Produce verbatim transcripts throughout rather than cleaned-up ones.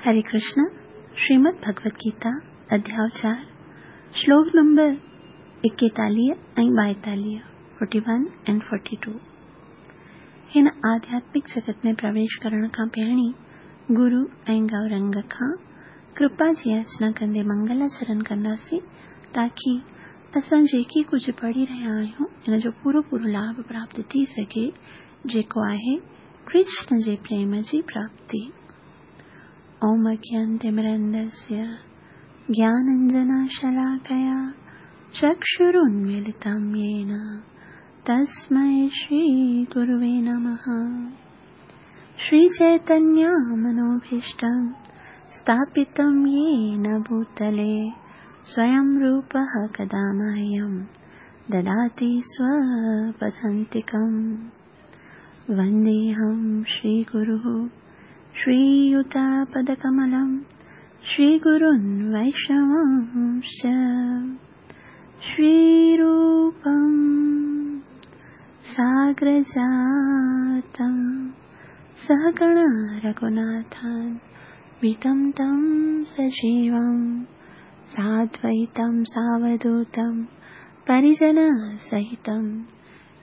हरे कृष्ण। श्रीमद् भगवद गीता अध्याय चार श्लोक नंबर इकतालीह ऐं ॿाएतालीह forty one and forty two. हिन आध्यात्मिक जगत में प्रवेश करण खां पहिरीं गुरु ऐं गौरंग खां कृपा जी याचना कंदे मंगलाचरण कंदासीं ताकी असां जेके कुझु पढ़ी रहिया आहियूं इन जो पूरो पूरो लाभ प्राप्त थी सघे, जेको आहे कृष्ण जे प्रेम जी प्राप्ति। ओम अज्ञानतिमिरन्धस्य ज्ञानाञ्जनशलाकया चक्षुरुन्मीलितं येन तस्मै श्रीगुरुवे नमः। श्रीचैतन्यमनोभीष्टं स्थापितं येन भूतले स्वयं रूपः कदा मह्यं ददाति स्वपदान्तिकं। वन्देऽहं श्रीगुरुः श्रीयुतपदकमलं श्रीगुरुन् वैष्णवांश्च। श्रीरूपं साग्रजातं सहगण रघुनाथान्वितं तं सजीवं साद्वैतं सावधूतं परिजनसहितं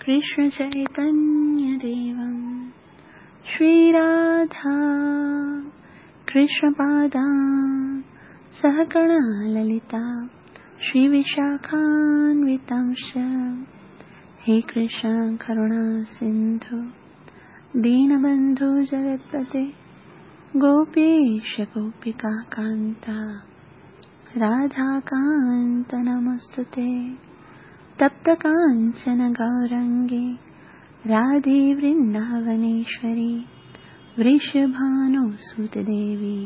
कृष्णचैतन्यदेवं। श्रीराधा कृष्णपादां सहगण ललिता श्रीविशाखान्वितांश्च। हे कृष्ण करुणा सिन्धु दीनबन्धु जगत्पते गोपेश गोपिका कान्ता राधाकान्त नमस्तुते। तप्त काञ्चन गौरङ्गे राधे वृन्दावनेश्वरी वृषभानुसुतदेवी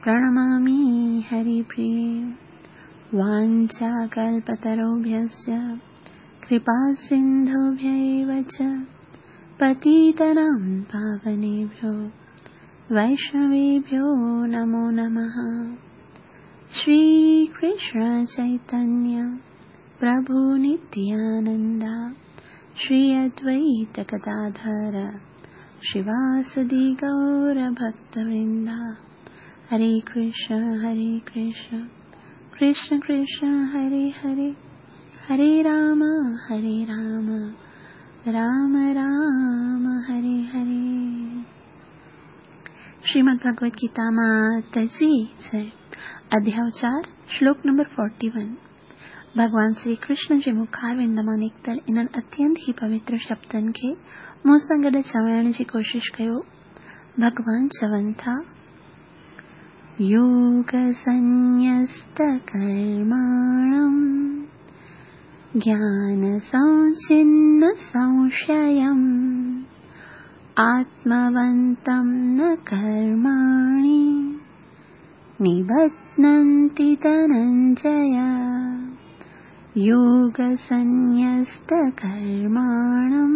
प्रणमामि हरिप्रिये। वाञ्छाकल्पतरुभ्यश्च कृपासिन्धुभ्य एव च पतितानां पावनेभ्यो वैष्णवेभ्यो नमो नमः। श्रीकृष्ण चैतन्य प्रभु नित्यानन्द श्री अद्वैत गदाधर श्रीवासदि गौर भक्तवृंद। हरे कृष्ण हरे कृष्ण कृष्ण कृष्ण हरे हरे, हरे राम हरे राम राम राम हरे हरे। श्रीमद् भगवद गीता माता जी जय। अध्याय चार श्लोक नंबर फोर्टी वन। भगवान श्री कृष्ण जे मुखारविंद मां निकितल इन्हनि अत्यंत ई पवित्र शब्दनि खे मूं सां गॾु चवण जी कोशिश कयो। भगवान चवनि था, योगसंन्यस्तकर्माणं ज्ञानसंछिन्नसंशयम् आत्मवन्तं न कर्माणि निबध्नन्ति धनञ्जय। योगसंन्यस्तकर्माणं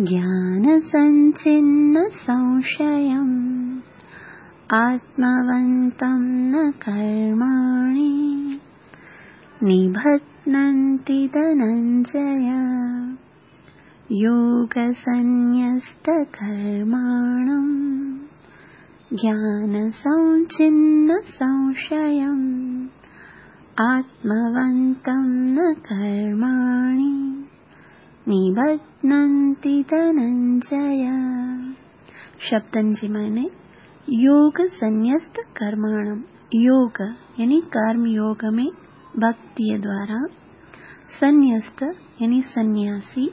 ज्ञानसंछिन्नसंशयम् आत्मवन्तं न कर्माणि निबध्नन्ति धनञ्जय। योगसंन्यस्तकर्माणं ज्ञानसंछिन्नसंशयम् आत्मवन्तं न कर्माणि निबध्नन्ति धनञ्जय। शब्दनि जी माने योग संन्यस्त कर्माणं, योग यानी कर्म योग में भक्तिअ द्वारा, संन्यस्त यानी सन्यासी,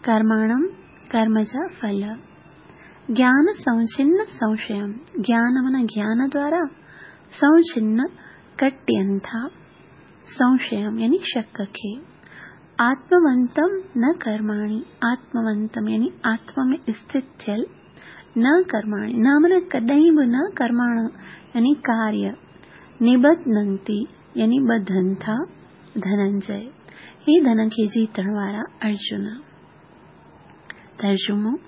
कर्माणं कर्म जा फल, ज्ञान संछिन्न संशयं, ज्ञान माना ज्ञान द्वारा, संछिन्न कटियनि था, संशयं यानी शक खे, आत्मवंतम न कर्माणि, आत्मवंतम यानी आत्मा में स्थित थियल, न कर्माणि न माना कॾहिं बि न, कर्माण यानी कार्य, निबध्नन्ति यानी बधनि था, धनंजय हे धन खे जीतण वारा अर्जुन। तर्जुमो,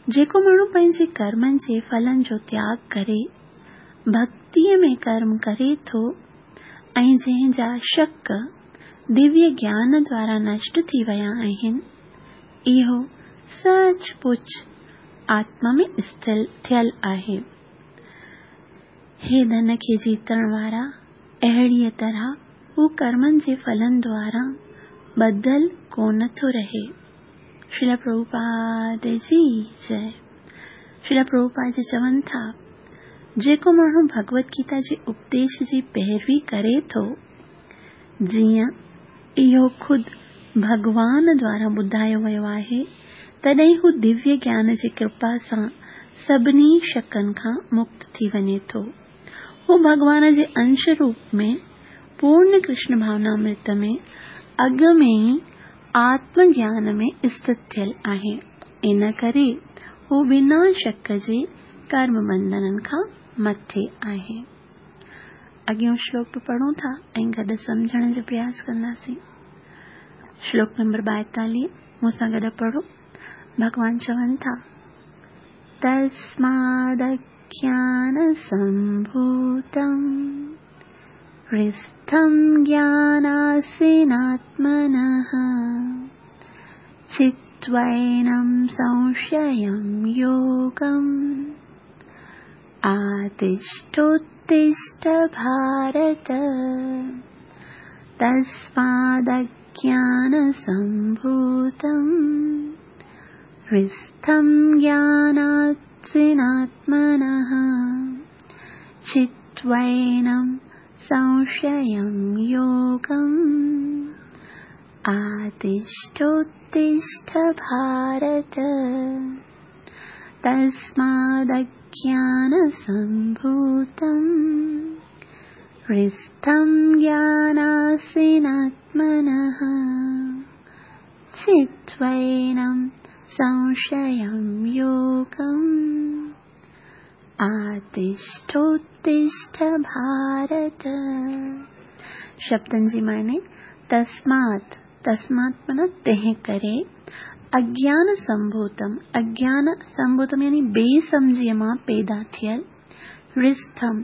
जेको माण्हू पंहिंजे कर्मनि जे फलनि जो त्याग करे भक्तीअ में कर्म करे थो ऐं जंहिंजा शक दिव्य ज्ञान द्वारा नष्ट थी विया आहिनि, इहो सच पुच आत्मा में स्थिर थियल आहे। हे धन खे जीतण वारा, अहिड़ीअ तरह हू कर्मनि जे फलनि द्वारा ॿधल कोन थो रहे। श्रील प्रभुपाद जी जय। श्रील प्रभुपाद जी चवनि था, जेको माण्हू भगवत गीता जे उपदेश जी पैरवी करे थो, जीअं इहो ख़ुदि भॻवान द्वारा ॿुधायो वियो आहे, तॾहिं हू दिव्य ज्ञान जी कृपा सां सभिनी शकनि खां मुक्त थी वञे थो। हू भॻवान जे अंश रूप में पूर्ण कृष्ण भावनामृत में अॻु में ई आत्मज्ञान में स्थित थियल आहे। इन करे हू बिना शक जे कर्म बंधननि खां मथे आहे। अॻियों श्लोक बि पढ़ूं था ऐं गॾु सम्झण जो प्रयास कंदासीं। श्लोक नंबर ॿाएतालीह मूंसां गॾु पढ़ो। भॻवान चवनि था, तस्मादज्ञान संभूतं हृस्थं ज्ञानासीनात्मनः चित्वैनं संशयं योगम् आतिष्ठोत्तिष्ठ भारत। तस्मादज्ञान संभूतं हृस्थं ज्ञानासीनात्मनः चित्वैनं संशयं योगम् आतिष्ठोत्तिष्ठ भारत। तस्मादज्ञान संभूतं हृस्थं ज्ञानासीनात्मनः चित्वैनं संशयं योगम् आतिष्ठोत्तिष्ठ भारत। शब्दनि जी माने तस्मात्, तस्मात् माना तंहिं करे, अज्ञान संभूतम, अज्ञान संभूतम यानी बेसमझीअ मां पैदा थियल, हृस्थम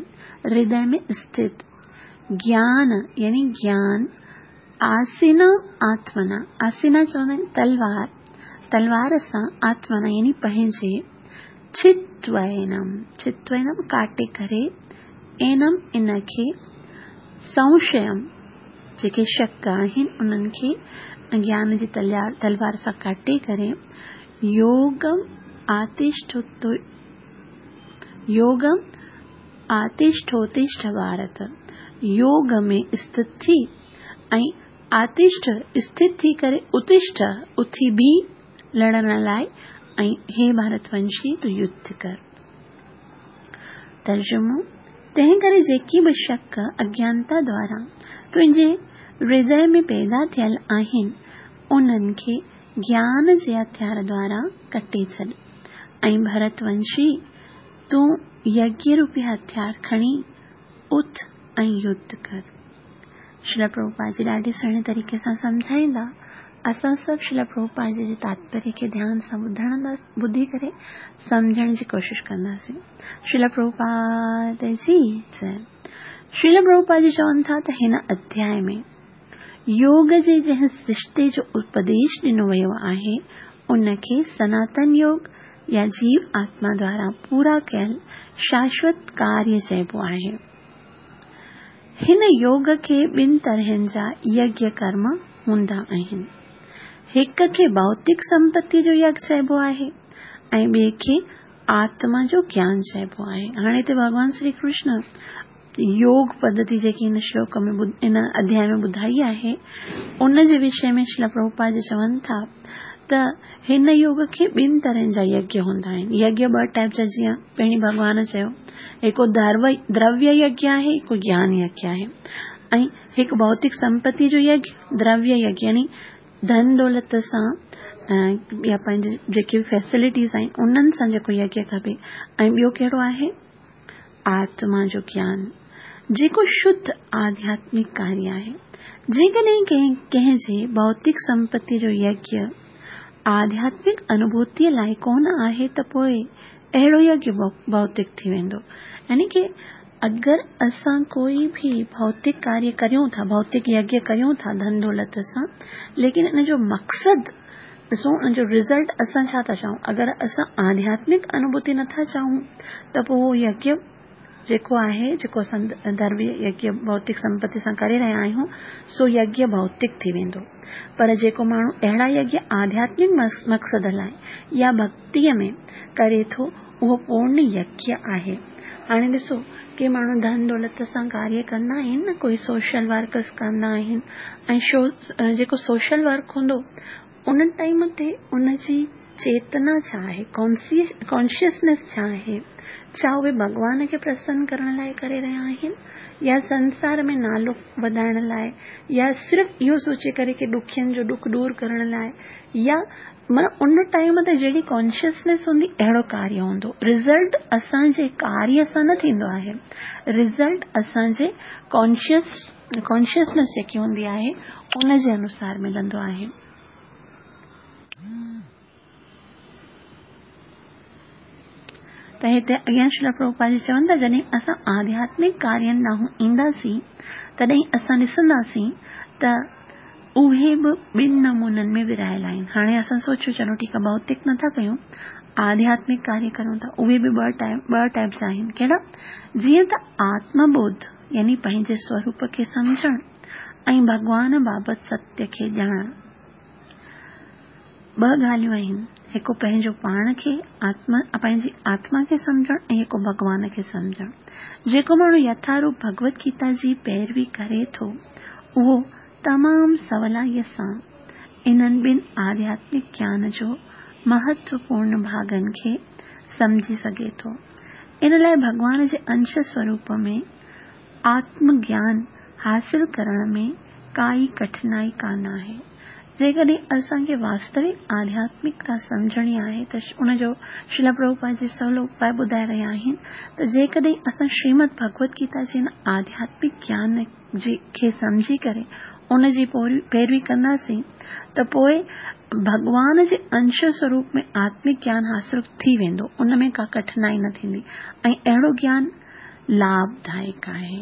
हृदय में स्थित, ज्ञान यानी ज्ञान, आसीन आत्मना, आसीना चवंदा आहिनि तलवार, तलवार सां आत्मना यानी पंहिंजे, चित्वैनम, चित्वैनम काटे करे, एनम इनखे, संशयम जेके शक आहिनि उन्हनि खे ज्ञान जी तलवार सां काटे करे, योगम आतिष्ठोत्तो योगम आतिष्ठोत्तिष्ठ भारत, योग में स्थित थी ऐं आतिष्ठ स्थित थी करे उत्तिष्ठ उथी बि लड़ण लाइ ऐं हे भारतवंशी तूं युद्ध कर। तर्जुमो, तंहिं करे जेकी बि शक अज्ञानता द्वारा तुंहिंजे हृदय में पैदा थियल आहिनि उन्हनि खे ज्ञान जे हथियार द्वारा कटे छॾ ऐं भरतवंशी तूं यज्ञ रूपी हथियार खणी उथ ऐं युद्ध कर। श्रील प्रभुपाद जी ॾाढे सुहिणे तरीक़े सां सम्झाईंदा। असां सभु श्रील प्रभुपाद जी जे तात्पर्य खे ध्यान सां ॿुधणंदा, ॿुधी करे सम्झण जी कोशिशि कंदासीं। श्रील प्रभुपाद जी जय। श्रील प्रभुपाद जी चवनि था त हिन अध्याय में योग जे जंहिं सृष्टि जो उपदेश ॾिनो वियो आहे उनखे सनातन योग या जीव आत्मा द्वारा पूरा कयल शाश्वत कार्य चइबो आहे। हिन योग खे ॿिनि तरहनि जा यज्ञ कर्म हूंदा आहिनि। हिक खे भौतिक संपत्ति जो यज्ञ चइबो आहे ऐं ॿिए खे आत्मा जो ज्ञान चइबो आहे। हाणे हिते भॻवान श्री कृष्ण योग पद्धति जेकी हिन श्लोक में इन अध्याय में ॿुधाई आहे उन जे विषय में श्रील प्रभुपाद जी चवनि था त हिन योग खे ॿिनि तरहनि जा यज्ञ हूंदा आहिनि। यज्ञ ॿ टाइप जा, जीअं पहिरीं भॻवान चयो, हिकु द्रव्य यज्ञ आहे, हिकु ज्ञान यज्ञ आहे। ऐं हिकु भौतिक संपत्ति जो यज्ञ द्रव्य यज्ञ यानी धन दौलत सां या पंहिंजे जेके बि फैसिलिटीज़ आहिनि उन्हनि सां जेको यज्ञ खपे। ऐं ॿियो कहिड़ो आहे? आत्मा जो ज्ञान, जेको शुद्ध आध्यात्मिक कार्य आहे। जेकॾहिं कंहिं कंहिंजे भौतिक संपत्ति जो यज्ञ आध्यात्मिक अनुभूतीअ लाइ कोन आहे त पोइ अहिड़ो यज्ञ भौतिक थी वेंदो। यानी की अगरि असां कोई भी भौतिक कार्य करियूं था, भौतिक यज्ञ करियूं था धन दौलत सां, लेकिन इन जो मक़सदु ॾिसो, इन जो रिज़ल्ट असां छा था चाहूं? अगरि असां आध्यात्मिक अनुभूति नथा चाहूं त पोइ उहो यज्ञ جيڪو آهي، جيڪو اسان درويه يگيه ڀوتڪ سمپتي سان ڪري رهيا آهيون، سو يگيه ڀوتڪ ٿي ويندو. پر جيڪو ماڻهو اهڙا يگيه آڌياتمڪ مقصد لاء يا ڀڳتيء ۾ ڪري ٿو، اهو پورڻ يگيه آهي. هاڻي ڏسو، ڪي ماڻهو ڌن دولت سان ڪاريه ڪندا آهن نه، ڪوئي سوشل ورڪس ڪندا آهن ۽ جيڪو سوشل ورڪ هوندو ان ٽائيم تي ان جي چيتنا ڇا آهي، ڪانشسنيس ڇا آهي؟ ڇا اهي ڀڳوان کي پرسن ڪرڻ لاء ڪري رهيا آهن يا سنسار ۾ نالو وڌائڻ لاء يا صرف اهو سوچي ڪري ڪي ڏکين جو ڏک دور ڪرڻ لاء يا معنيٰ ان ٽائيم تي جهڙي ڪانشسنيس هوندي اهڙو ڪاريه هوندو. رزلٽ اسان جي ڪاريه سان نه ٿيندو آهي، رزلٽ اسان جي ڪانشس ڪانشسنيس جيڪي هوندي آهي ان جي انوسار ملندو آهي. ته هتي اڳيان شريل پرڀوپاد جي چون ٿا، جڏهن اسان آڌياتمڪ ڪارين ڏانهن اينداسين تڏهن اسان ڏسنداسين ته اهي به ٻن نمونن ۾ ورهايل آهن. هاڻي اسان سوچيو چلو ٺيڪ آهي، ڀوتڪ نٿا ڪيون، آڌياتمڪ ڪاريه ڪريون ٿا، اهي به ٻه ٽائيپ ٻه ٽائيپس آهن. ڪهڙا؟ جيئن ته آتم ٻوڌ يعني پنهنجي سوروپ کي سمجهڻ ۽ ڀڳوان بابت ستيه کي ڄاڻڻ. ٻه ڳالهيون آهن، هڪ پنهنجو پاڻ کي آتما پنهنجي آتما کي سمجهڻ ۽ هڪ ڀڳوان کي سمجهڻ. جيڪو ماڻهو يٿاروپ ڀڳوت گيتا جي پيروي ڪري ٿو، اهو تمام سولائيءَ سان انهن ٻن آڌياتمڪ گيان جو مهتوپورڻ ڀاڳن کي سمجهي سگهي ٿو. ان لاءِ ڀڳوان جي انش سوروپ ۾ آتم گيان حاصل ڪرڻ ۾ ڪائي ڪٺنائي ڪانه آهي. جيڪڏهن اسان کي واستوڪ آڌياتمڪتا سمجهڻي آهي ته ان جو شريل پرڀوپاد جي سولو اپاءُ ٻڌائي رهيا آهن ته جيڪڏهن اسان شريمد ڀڳوت گيتا جي هن آڌياتمڪ گيان جي کي سمجهي ڪري ان جي پيروي ڪنداسين ته پوءِ ڀڳوان جي انش سوروپ ۾ آتمڪ گيان حاصل ٿي ويندو، ان ۾ ڪا ڪٺنائي نه ٿيندي ۽ اهڙو گيان لاڀدائڪ آهي.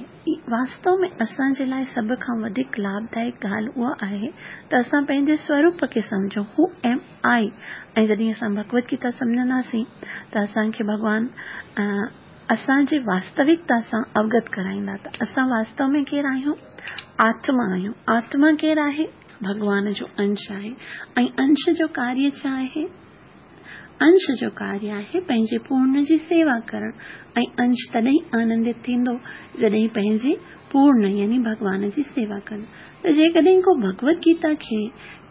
واستو ۾ اسان جي لاءِ سڀ کان وڌيڪ لاڀدائڪ ڳالهه اها آهي ته اسان پنهنجي سوروپ کي سمجهون، هو ايم I. ۽ جڏهن اسان ڀڳوت گيتا سمجهنداسين ته اسان کي ڀڳوان اسان جي واستوڪتا سان اوگت ڪرائيندا ته اسان واستو ۾ ڪير آهيون؟ آتما آهيون. آتما ڪير آهي؟ ڀڳوان جو انش آهي. ۽ انش جو ڪاريه ڇا آهي؟ انش جو ڪاريه آهي پنهنجي پورڻ جي سيوا ڪرڻ. ۽ انش تڏهن آنندت ٿيندو جڏهن پنهنجي پورڻ يعني ڀڳوان جي سيوا ڪندو. ته جيڪڏهن ڪو ڀڳوت گيتا کي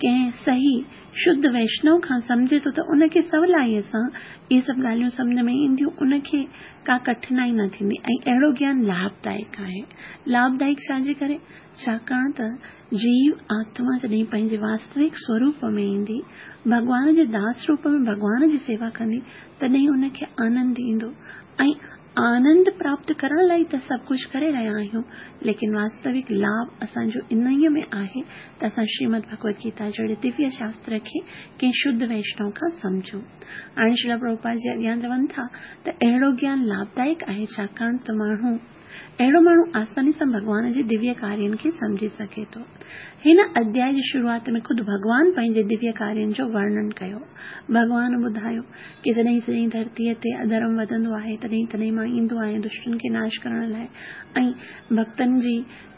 ڪنهن صحيح شڌ ويشنو کان سمجهي ٿو ته ان کي سولائيءَ سان اهي سڀ ڳالهيون سمجهه ۾ اينديون، ان کي ڪا ڪٺنائي نه ٿيندي ۽ اهڙو گيان لاڀدائڪ آهي. لاڀدائڪ ڇا جي ڪري؟ ڇاڪاڻ ته جيو آتما جڏهن پنهنجي واستوڪ سوروپ ۾ ايندي، ڀڳوان جي داس روپ ۾ ڀڳوان جي سيوا ڪندي، تڏهن ان کي آنند ايندو. ۽ آنند پراپت ڪرڻ لاءِ ته سڀ ڪجهه ڪري رهيا آهيون، ليڪن واستوڪ لاڀ اسان جو انهيءَ ۾ آهي ته اسان شريمد ڀڳوت گيتا جهڙي دويه شاستر کي ڪنهن شڌ ويشنو کان سمجهون. هاڻي شريل پرڀوپاد جي اڳيان چون ٿا ته اهڙو گيان لاڀدائڪ آهي، ڇاڪاڻ ته ماڻهو اهڙو ماڻهو آساني سان ڀڳوان جي دويه ڪارين کي سمجهي سگهي ٿو. هن اڌياءِ جي شروعات ۾ خود ڀڳوان پنهنجي دويه ڪارين جو ورڻن ڪيو. ڀڳوان ٻڌايو ڪه جڏهن جڏهن ڌرتيءَ تي اڌرم وڌندو آهي تڏهن تڏهن مان ايندو آهيان دشٽن کي ناش ڪرڻ لاءِ ۽ ڀڳتن جي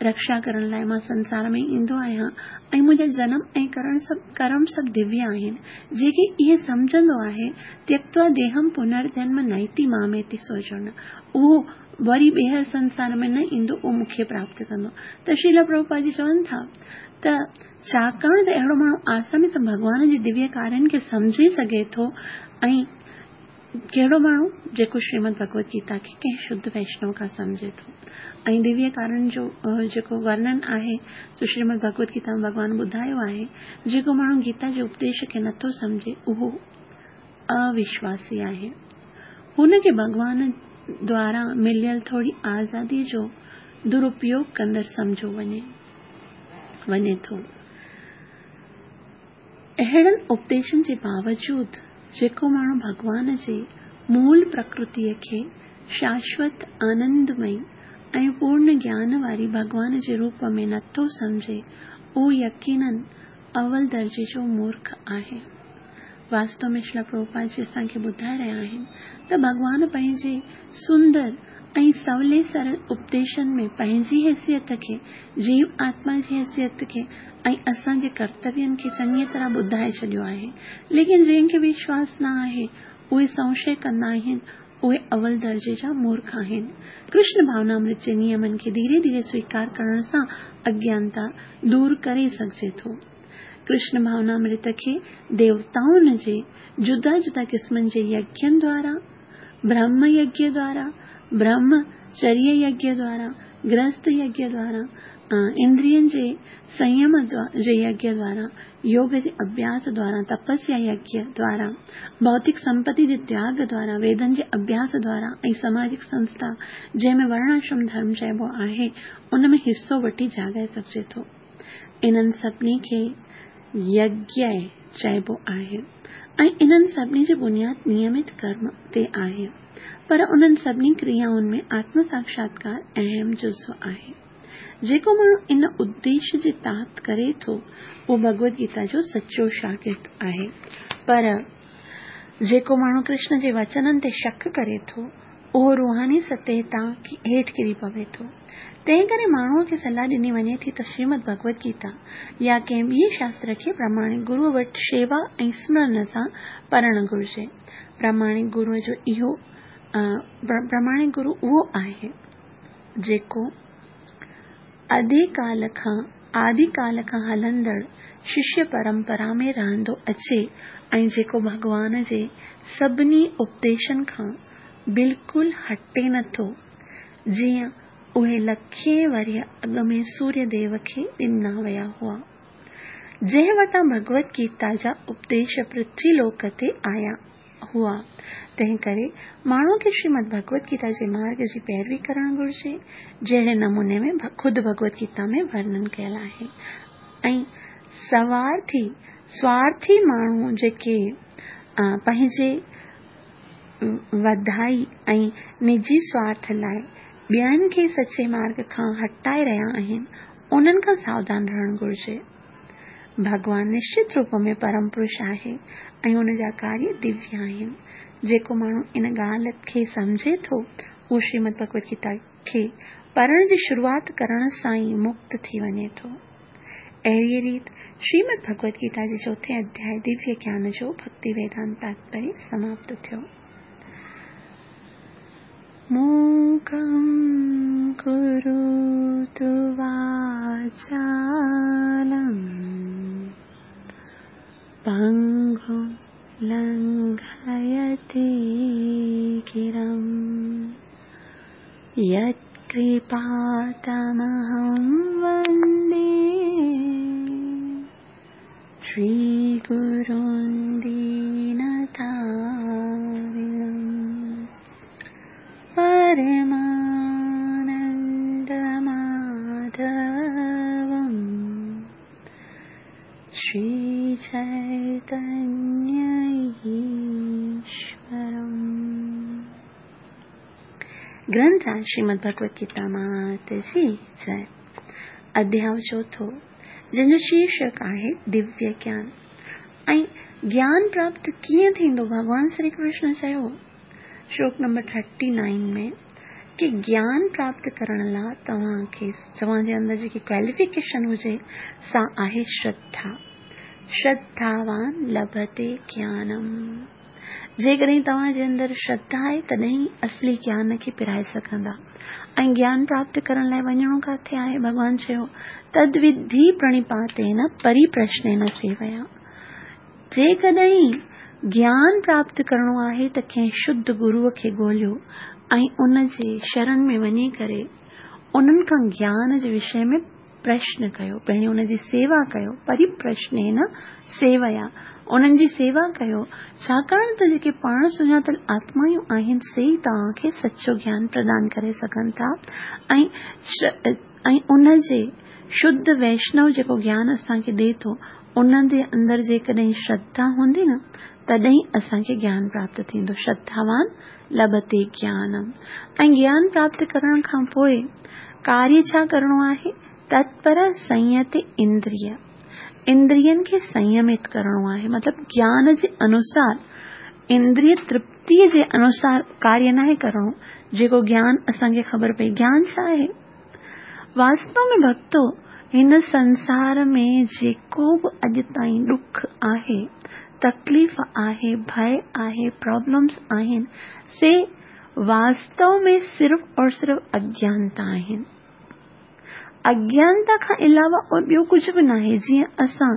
رڪشا ڪرڻ لاءِ مان سنسار ۾ ايندو آهيان ۽ منهنجا جنم ۽ ڪرڻ سڀ ڪرم سڀ دويه آهن. جيڪي اهي سمجهندو آهي تيڪتوا ديهم پنرجنم نيتي ماميتي سوجن، اهو وري ٻيهر سنسار ۾ نه ايندو، اهو مون کي پراپت ڪندو. ته شريل پرڀوپاد جي چون ٿا ته ڇاڪاڻ ته اهڙو ماڻهو آساني سان ڀڳوان جي دويه ڪارين کي سمجهي سگهي ٿو. ۽ ڪهڙو ماڻهو؟ جيڪو شريمد ڀڳوت گيتا کي ڪنهن شڌ ويشنو کان سمجهي ٿو. ۽ دويه ڪارين جو جيڪو ورڻن آهي سو شريمد ڀڳوت گيتا ۾ ڀڳوان ٻڌايو آهي، جيڪو ماڻهو گيتا جي اپديش کي نٿو سمجهي اهو اوشواسي آهي. هن کي ڀڳوان دوارا مليل ٿوري آزادي جو درپيوگ ڪندڙ سمجهيو وڃي وڃي ٿو. اهڙن اپديشن جي باوجود جيڪو ماڻهو ڀڳوان جي مول پرڪرتيءَ کي شاشوت آنندمئي ۽ پورڻ گيان واري ڀڳوان جي روپ ۾ نٿو سمجهي، اهو يقينن اول درجي جو مورک آهي. واستو ۾ شريل پرڀوپاد جي اسان کي ٻڌائي رهيا آهن ته ڀڳوان پنهنجي سندر ऐं सवले सरल उपदेशनि में पंहिंजी हैसियत खे, जीव आत्मा जी हैसियत खे ऐं असांजे कर्तव्यनि खे चङीअ तरह ॿुधाए छॾियो आहे। लेकिन जंहिंखे विश्वास न आहे, उहे संशय कंदा आहिनि, उहे अवल दर्जे जा मूर्ख आहिनि। कृष्ण भावनामृत जे नियमनि खे धीरे धीरे स्वीकार करण सां अज्ञानता दूर करे सघिजे थो। कृष्ण भावनामृत खे देवताउनि जे जुदा जुदा क़िस्मनि जे यज्ञनि द्वारा, ब्रह्म यज्ञ द्वारा, ब्रह्मचर्य यज्ञ द्वारा, गृहस्थ यज्ञ द्वारा, इंद्रियनि जे संयम जे यज्ञ द्वारा, योग जे अभ्यास द्वारा, तपस्या यज्ञ द्वारा, भौतिक संपत्ति जे त्याग द्वारा, वेदनि जे अभ्यास द्वारा ऐं सामाजिक संस्था जंहिंमें वर्णाश्रम धर्म चइबो आहे उन में हिसो वठी जाॻाए सघिजे थो। इन्हनि सभिनी खे यज्ञ चइबो आहे ऐं इन्हनि सभिनी जो बुनियाद नियमित कर्म ते आहे, पर उन्हनि सभिनी क्रियाउनि में आत्म साक्षात्कार अहम जुज़ो आहे। जेको माण्हू इन उद्देश्य जे तहत करे थो उहो भगवद गीता जो सचो शागिर्द आहे, पर जेको माण्हू कृष्ण जे वचननि ते शक करे थो उहो रूहानी सतह तां हेठि किरी पवे थो। तंहिं करे माण्हूअ खे सलाह ॾिनी वञे थी त श्रीमद भगवद गीता या कंहिं ॿिए शास्त्र खे प्रामाणिक गुरूअ वटि शेवा ऐं स्मरण सां पढ़णु घुरिजे। प्रामाणिक गुरूअ जो इहो प्रामाणिक गुरू उहो आहे जेको आदिकाल खां आदिकाल खां हलंदड़ शिष्य परंपरा में रहंदो अचे ऐं जेको भॻवान जे सभिनी उपदेशनि खां बिल्कुलु हटे नथो, जीअं उहे लखे वरिय अॻु में सूर्यदेव खे ॾिना विया हुआ, जंहिं वटां भगवद गीता जा उपदेश पृथ्वीलोक ते आया हुआ। तंहिं करे माण्हूअ खे श्रीमद भगवद गीता जे मार्ग जी पैरवी करणु घुरिजे, जहिड़े नमूने में ख़ुदि भगवद गीता में वर्णन कयल आहे। ऐं सवार्थी स्वार्थी माण्हू जेके पंहिंजे वधाई ऐं निजी स्वार्थ लाइ ॿियनि खे सचे मार्ग खां हटाए रहिया आहिनि, उन्हनि खां सावधान रहणु घुरिजे। भॻवान निश्चित रूप में परम पुरुष आहे ऐं उन जा कार्य दिव्य आहिनि। जेको माण्हू इन ॻाल्हि खे सम्झे थो उहो श्रीमद भगवद गीता खे पढ़ण जी शुरूआत करण सां ई मुक्त थी वञे थो। अहिड़ी रीति श्रीमद भगवद गीता जे चोथे अध्याय दिव्य ज्ञान जो भक्ति वेदांत तात्पर्य समाप्त थियो। मूकं करोतु वाचालं पङ्गुं लङ्घयते गिरिं यत्कृपातमहं वन्दे श्रीगुरुं दीनतारिणं परमानन्दमाधवं श्रीचैतन्य ईश्वरम्। ग्रंथ श्रीमद भगवद गीता मात जी जय। अध्याय चोथों जंहिंजो शीर्षक आहे दिव्य ज्ञान। ऐं ज्ञान प्राप्त कीअं थींदो? भॻवान श्री कृष्ण चयो श्लोक नंबर थर्टी नाइन में कि ज्ञान प्राप्त करण लाइ तव्हांखे तव्हांजे अंदरि जेकी क्वालिफिकेशन हुजे सा आहे श्रद्धा। श्रद्धावान लभते ज्ञानम। जेकॾहिं तव्हांजे अंदरि श्रद्धा आहे तॾहिं असली ज्ञान खे पिराए सघंदा। ऐं ज्ञान प्राप्त करण लाइ वञिणो किथे आहे? भॻवान चयो तद्विधि प्रणिपातेन परिप्रश्नेन सेवया। जेकॾहिं ज्ञान प्राप्त करणो आहे त कंहिं शुद्ध गुरूअ खे ॻोल्हियो ऐं उन जे शरण में वञी करे उन्हनि खां ज्ञान जे विषय में प्रश्न कयो, पहिरीं उन जी सेवा कयो। परिप्रश्नेन सेवया, उन्हनि जी सेवा कयो, छाकाणि त जेके पाण सुञातल आत्मायूं आहिनि से ई तव्हांखे सचो ज्ञान प्रदान करे सघनि था। ऐं ऐं उन जे शुद्ध वैष्णव जेको ज्ञान असांखे ॾिए थो उन जे अंदरि जेकॾहिं श्रद्धा हूंदी न तॾहिं असांखे ज्ञान प्राप्त थींदो। श्रद्धावान लभते ज्ञानम। ऐं ज्ञान प्राप्त करण खां पोइ कार्य छा करणो आहे? तत्पर संयत इंद्रिय, इंद्रियनि खे संयमित करणो आहे। मतिलबु ज्ञान जे अनुसार, इंद्रिय तृप्तीअ जे अनुसार कार्य नाहे करणो, جيڪو گيان اسان کي خبر پئي. گيان ڇا آهي؟ واستو ۾ ڀڳتو، هن سنسار ۾ جيڪو به اڄ تائين ڏک آهي، تڪليف آهي، ڀئه آهي، پرابلمس آهن، سي واستو ۾ صرف اور صرف اگيانتا آهن. اگيانتا کان علاوه اور ٻيو ڪجهه به ناهي. جيئن اسان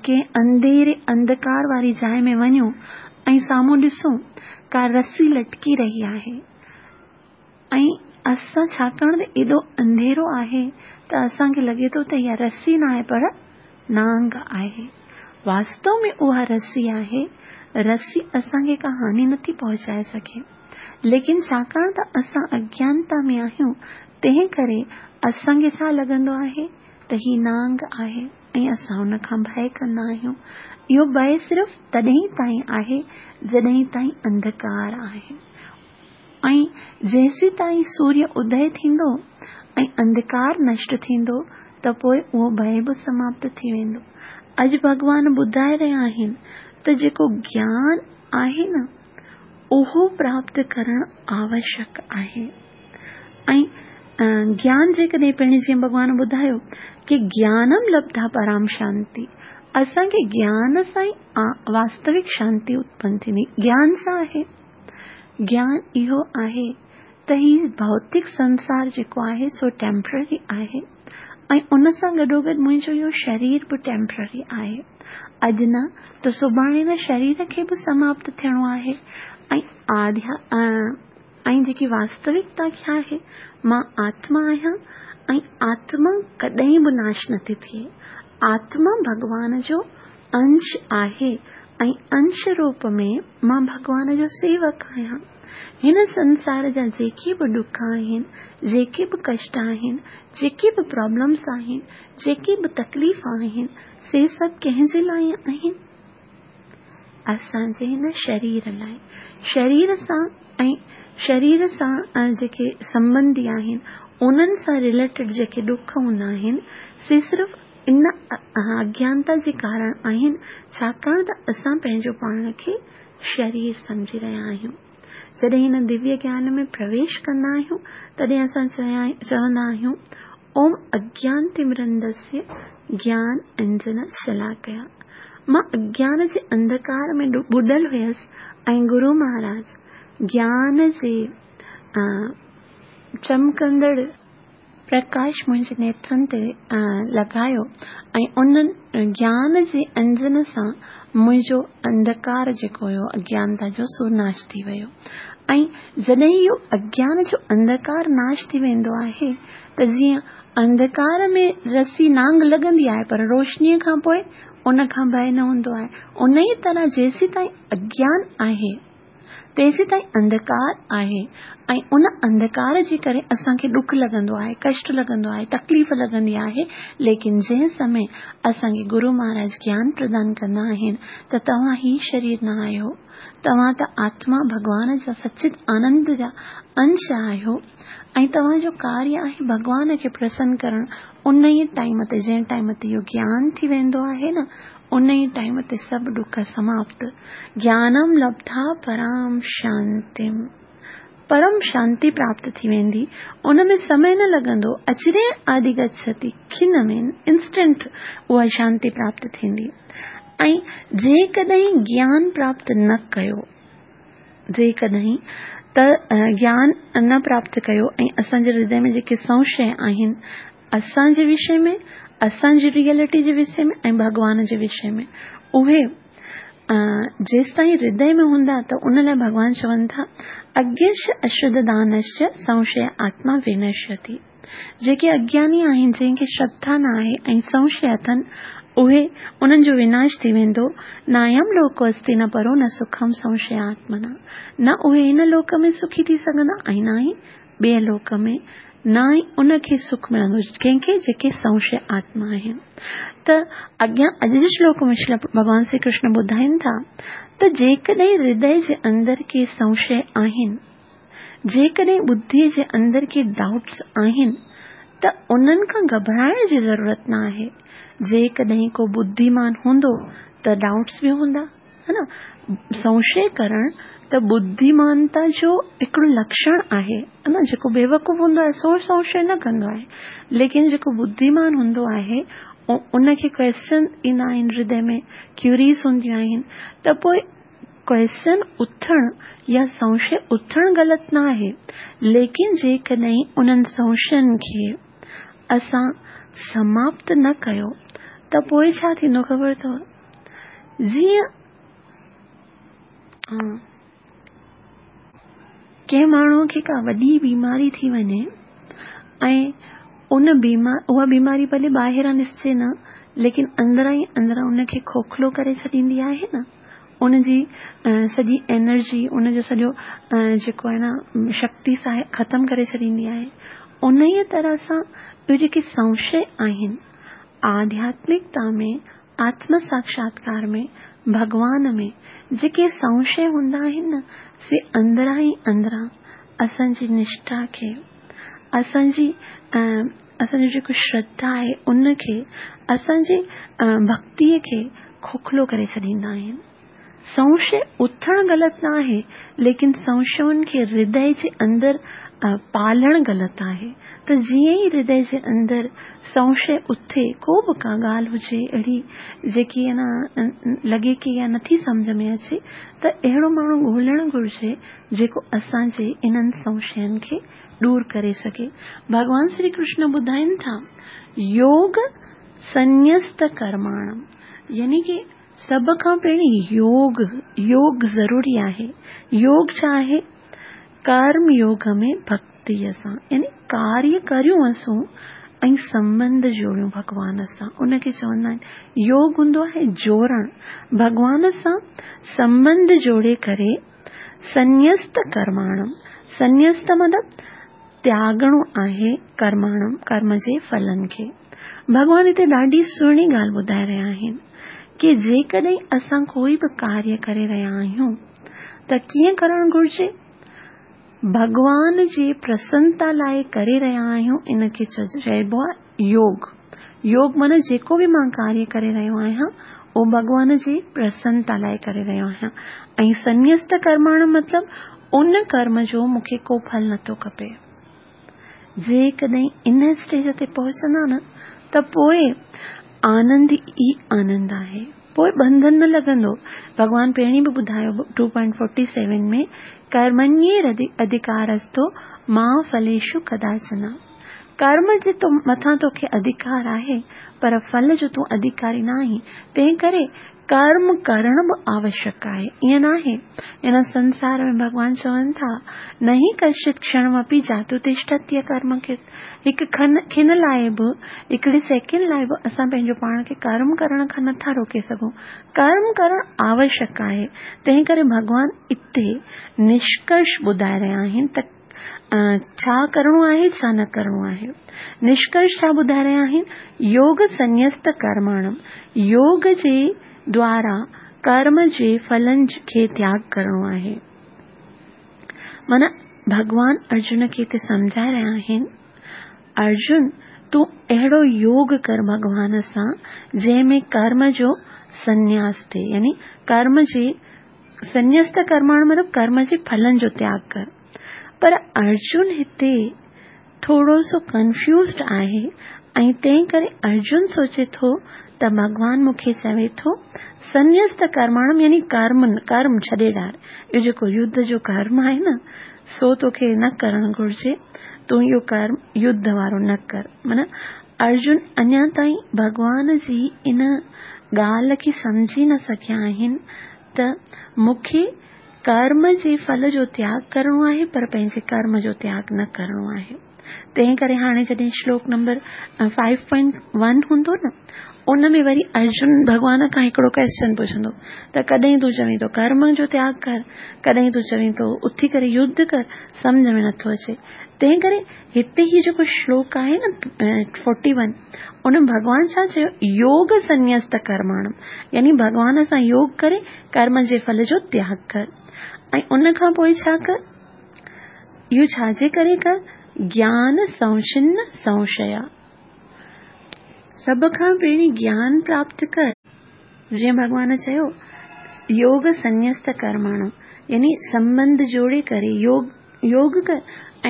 ڪنهن انڌيري انڌڪار واري جاءِ ۾ وڃون ۽ سامهون ڏسون ڪا رسي لٽڪي رهي آهي ۽ اسان ڇاڪاڻ ته ايڏو انڌيرو آهي ته اسان کي لڳي ٿو ته اها رسي نه آهي پر نانگ آهي. واستو ۾ اها رسي آهي. رسي اسان کي ڪا هاني نٿي پهچائي سگهي، ليڪن ڇاڪاڻ ته اسان اگيانتا ۾ آهيون تنهن ڪري اسان کي ڇا لڳندو آهي ته هي نانگ آهي ۽ اسان ان کان ڀئه ڪندا آهيون. اهو ڀئه صرف تڏهن تائين آهي جڏهن تائين انڌڪار آهي ۽ جيسين تائين سوريه ادي ٿيندو ۽ انڌڪار نشٽ ٿيندو ته پوءِ اهو ڀئه به سماپت ٿي ويندو. اڄ ڀڳوان ٻڌائي رهيا آهن ته جيڪو گيان آهي نه اهو پراپت ڪرڻ آوشيڪ آهي. ۽ گيان جيڪڏهن پهرين جيئن ڀڳوان ٻڌايو ڪه گيانم لبڌا پرام شانتي، اسان کي گيان سان ئي واستوڪ شانتي اتپن ٿيندي. گيان ڇا آهي؟ گيان اهو آهي ته هي ڀوتڪ سنسار جيڪو آهي سو ٽيمپرري آهي ۽ ان سان گڏوگڏ منهنجو اهو شرير به ٽيمپرري آهي. اڄ نه ته سڀاڻي نه شرير کي به سماپت ٿيڻو آهي ۽ آڌيا ۽ جيڪي واستوڪتا ڇا آهي، مان آتما آهيان ۽ آتما ڪڏهن به ناش نٿي ٿئي. آتما ڀڳوان جو انش آهي ۽ انش روپ ۾ مان ڀڳوان جو سيوڪ آهيان. هن سنسار جا جيڪي به ڏک آهن، جيڪي به ڪشٽ آهن، جيڪي به پرابلمس آهن، جيڪي به تڪليف آهن، سي سڀ ڪنهن جي لاءِ آهن؟ اسان جي هن شرير لاءِ. شرير سان ۽ شرير سان جيڪي سنٻنڌي آهن انهن سان رليٽيڊ جيڪي ڏک هوندا آهن سي صرف ان اگيانتا جي ڪارڻ آهن، ڇاڪاڻ ته اسان پنهنجو پاڻ کي شرير سمجهي رهيا آهيون. جڏهن هن دويه گيان ۾ پرويش ڪندا آهيون تڏهن اسان چوندا آهيون اوم اگيان تمرندسيه گيان انجن شلاڪيا. مان اگيان جي انڌڪار ۾ ٻڏل هيس ۽ گرو مهاراج گيان جي چمڪندڙ پرڪاش منهنجي نيترن تي لڳايو ۽ ان گيان جي انجن سان منهنجو انڌڪار جيڪو هيو اگيانتا جو سو ناش ٿي ويو. ۽ جڏهن اهو اگيان جو انڌڪار ناش ٿي ويندو آهي ته جيئن انڌڪار ۾ رسي نانگ لڳندي آهي پر روشنيءَ کان پوءِ ان کان ڀئه نه هوندو آهي، ان ئي طرح جيسين تائين اگيان آهي تيسين تائين انڌڪار آهي ۽ ان انڌڪار جي ڪري اسان کي ڏک لڳندو آهي، ڪشٽ لڳندو آهي، تڪليف لڳندي آهي. ليڪن جنهن سمي اسان کي گرو مهاراج گيان پردان ڪندا آهن ته توهان هي شرير نه آهيو، توهان ته آتما ڀڳوان جا سچت آنند جا انش آهيو ۽ توهان جو ڪاريه آهي ڀڳوان کي پرسن ڪرڻ. ان ئي ٽائيم تي جنهن ٽائيم تي اهو گيان ٿي ويندو آهي نه ان ئي ٽائيم تي سڀ ڏک سماپت. گيانم لبڌا پرام شانتم، پرم شانتي پراپت ٿي ويندي. ان ۾ سمي نه لڳندو، اچري آدي گڇتي کن ۾ انسٽنٽ اها شانتي پراپت ٿيندي. ۽ جيڪڏهن گيان پراپت نه ڪيو، جيڪڏهن ته گيان نه پراپت ڪيو ۽ اسان جي هردي ۾ جيڪي سنشي آهن اسان جي وشي ۾، اسان جي ريئلٽي جي وشي ۾ ۽ ڀڳوان جي وشي ۾ اهي جيس تائين هردي ۾ هوندا ته ان لاءِ ڀڳوان چون ٿا اگيش اشرڌدانشچ سنشي آتما ونشيتي. جيڪي اگياني آهن، جنهن کي شرڌا نه آهي ۽ سنشي اٿن، اهي انهن جو وناش ٿي ويندو. نايم لوڪو استي نه پرو نه سکم سنشي آتمنا. نه اهي هن لوڪ ۾ سکي ٿي سگهندا ۽ نه ئي ٻئي لوڪ ۾ نه ئي ان کي سک ملندو ڪنهن کي جيڪي سنشي آتما آهن. ته اڳيان اڄ جي شلوڪ ۾ ڀڳوان شري ڪرشن ٻڌائين ٿا ته جيڪڏهن هردي جي اندر ڪي سنشي آهن، جيڪڏهن ٻڌيءَ جي اندر ڪي ڊائوٽس آهن ته انهن کان گهٻرائڻ جي ضرورت نه آهي. جيڪڏهن ڪو ٻڌيمان هوندو ته ڊائوٽس به هوندا، ها نه. سنشي ڪرڻ ته ٻڌيمانتا جو هڪڙو لڪشڻ آهي نه، جيڪو بيوقوف هوندو آهي سو سنشي نه ڪندو آهي، ليڪن جيڪو ٻڌيمان هوندو آهي ان کي ڪويسچن ايندا آهن هردي ۾، ڪيوريز هونديون آهن، ته پوءِ ڪويسچن اٿڻ يا سنشي اٿڻ غلط نه آهي، ليڪن جيڪڏهن انهن سنشين کي اسان سماپت نه ڪيو ته پوءِ ڇا ٿيندو خبر اٿو؟ جيئن ڪنهن ماڻهوءَ کي ڪا وڏي بيماري ٿي وڃي ۽ ان بيمار اها بيماري ڀلي ٻاهران ڏسجي نه، ليڪن اندران ئي اندران ان کي کوکلو ڪري ڇڏيندي آهي نه، ان جي سڄي انرجي، ان جو سڄو جيڪو آهي نه شڪتي سا ختم ڪري ڇڏيندي آهي. ان ئي طرح سان اهي جيڪي سنشي آهن آڌياتمڪتا ۾، آتم ساڪشاتڪار ۾، ڀڳوان ۾ جيڪي سنشي هوندا آهن نه، سي اندران ئي اندران اسان جي نشٺا کي، اسان جي اسان جو جيڪو شرڌا آهي ان کي، اسان جي ڀڪتيءَ کي کوکلو ڪري ڇڏيندا آهن. سنشي اٿڻ غلط نه آهي، ليڪن سنشين کي هردي جي اندر پالڻ غلط آهي. ته جيئن ئي هردي جي اندر سنشي اٿي، ڪو به ڪا ڳالهه هجي اهڙي جيڪي نه لڳي ڪه اها نٿي سمجهه ۾ اچي، ته اهڙو ماڻهو ڳولهڻ گهرجي جيڪو اسان جي انهن سنشين کي دور ڪري سگهي. ڀڳوان شري ڪرشن ٻڌائين ٿا يوگ سنيست ڪرماڻم، يعني ڪه سڀ کان پهرين يوگ، يوگ ضروري آهي. يوگ ڇا آهي؟ ڪرم يوگ ۾ ڀڪتيءَ سان، يعني ڪاريه ڪريون اسون ۽ سنٻنڌ جوڙيون ڀڳوان سان، ان کي چوندا آهن يوگ. هوندو آهي جوڙڻ، ڀڳوان سان سنٻنڌ جوڙي ڪري سنيست ڪرماڻم، سنيست مطلب تياڳڻو آهي ڪرماڻم، ڪرم جي ڦلن کي. ڀڳوان هتي ڏاڍي سهڻي ڳالهه ٻڌائي رهيا آهن ڪه جيڪڏهن اسان ڪوئي به ڪاريه ڪري رهيا آهيون ته ڪيئن ڪرڻ گهرجي؟ ڀڳوان جي پرسنتا لاءِ ڪري رهيا آهيون، ان کي چئبو آهي يوگ. يوگ معنيٰ جيڪو به مان ڪاريه ڪري رهيو آهيان اهو ڀڳوان جي پرسنتا لاءِ ڪري رهيو آهيان. ۽ سنيست ڪرماڻ مطلب ان ڪرم جو مون کي ڪو ڦل نٿو کپي. جيڪڏهن ان اسٽيج تي پهچندا نه ته پوءِ آنند ئي آنند آهي، پوءِ ٻنڌن نه لڳندو. ڀڳوان پهرين به ٻڌايو ٽو پوائنٽ فورٽي سيون ۾ ڪرمنيه اڌڪارستو مان ڦليشو ڪداچن. ڪرم جي تو مٿان توکي اڌڪار آهي، پر ڦل جو تون اڌڪاري نه آهين، تنهن ڪري ڪرم ڪرڻ به آوشيڪ آهي. ائين نه آهي؟ ان سنسار ۾ ڀڳوان چون ٿا نهي ڪشچت ڪشڻمپي جاتو تشٺتي ڪرم کي، هڪ کن کن لاءِ به، هڪڙي سيڪنڊ لاءِ به اسان پنهنجو پاڻ کي ڪرم ڪرڻ کان نٿا روڪي سگهون. ڪرم ڪرڻ آوشيڪ آهي. تنهن ڪري ڀڳوان اتي نشڪرش ٻڌائي رهيا آهن ته ڇا ڪرڻو آهي ڇا نه ڪرڻو آهي. نشڪرش ڇا ٻڌائي رهيا آهن؟ يوگ سنيست ڪرماڻم، يوگ جي دوارا ڪرم جي ڦلن کي تياڳ ڪرڻو آهي. معنيٰ ڀڳوان ارجن کي هتي سمجهائي رهيا آهن، ارجن تون اهڙو يوگ ڪر ڀڳوان سان جنهن ۾ ڪرم جو سنياس ٿئي، يعني ڪرم جي سنيست ڪرماڻ مطلب ڪرم جي ڦلن جو تياڳ ڪر. پر ارجن هتي ٿورو سو ڪنفيوزڊ آهي ۽ تنهن ڪري ارجن سوچي ٿو ته ڀڳوان مون کي چوي ٿو سنيست ڪرماڻم يعني ڪرم، ڪرم ڇڏي ڏار، اهو جيڪو يڌ جو ڪرم آهي نه سو توکي نه ڪرڻ گهرجي، تون اهو ڪرم يڌ وارو نه ڪر. معنيٰ ارجن اڃا تائين ڀڳوان جي ان ڳالهه کي سمجهي نه سگهيا آهن ته مون کي ڪرم جي ڦل جو تياڳ ڪرڻو آهي پر پنهنجي ڪرم جو تياڳ نه ڪرڻو آهي. تنهن ڪري هاڻي جڏهن شلوڪ نمبر فائيو پوائنٽ ون هوندو نه ان ۾ وري ارجن ڀڳوان کان هڪڙو ڪويسچن پڇندو ته ڪڏهن تون چوين ٿو ڪرم جو تياڳ ڪر، ڪڏهن تون چوين ٿو اٿي ڪري يڌ ڪر، سمجهه ۾ نٿو اچي. تنهن ڪري هتي هي جيڪو شلوڪ آهي نه فورٽي ون، ان ڀڳوان ڇا چيو؟ يوگ سنيست ڪرماڻم، يعني ڀڳوان سان يوگ ڪري ڪرم جي ڦل جو تياڳ ڪر. ۽ ان کان پوءِ ڇا ڪر؟ اهو ڇا جي ڪري ڪر؟ گيان سنڇن سنشيا. سڀ کان پهرين گيان پراپت ڪر. جيئن ڀڳوان چيو يوگ سنيست ڪرماڻم، يعني سنٻنڌ جوڙي ڪري يوگ يوگ ڪر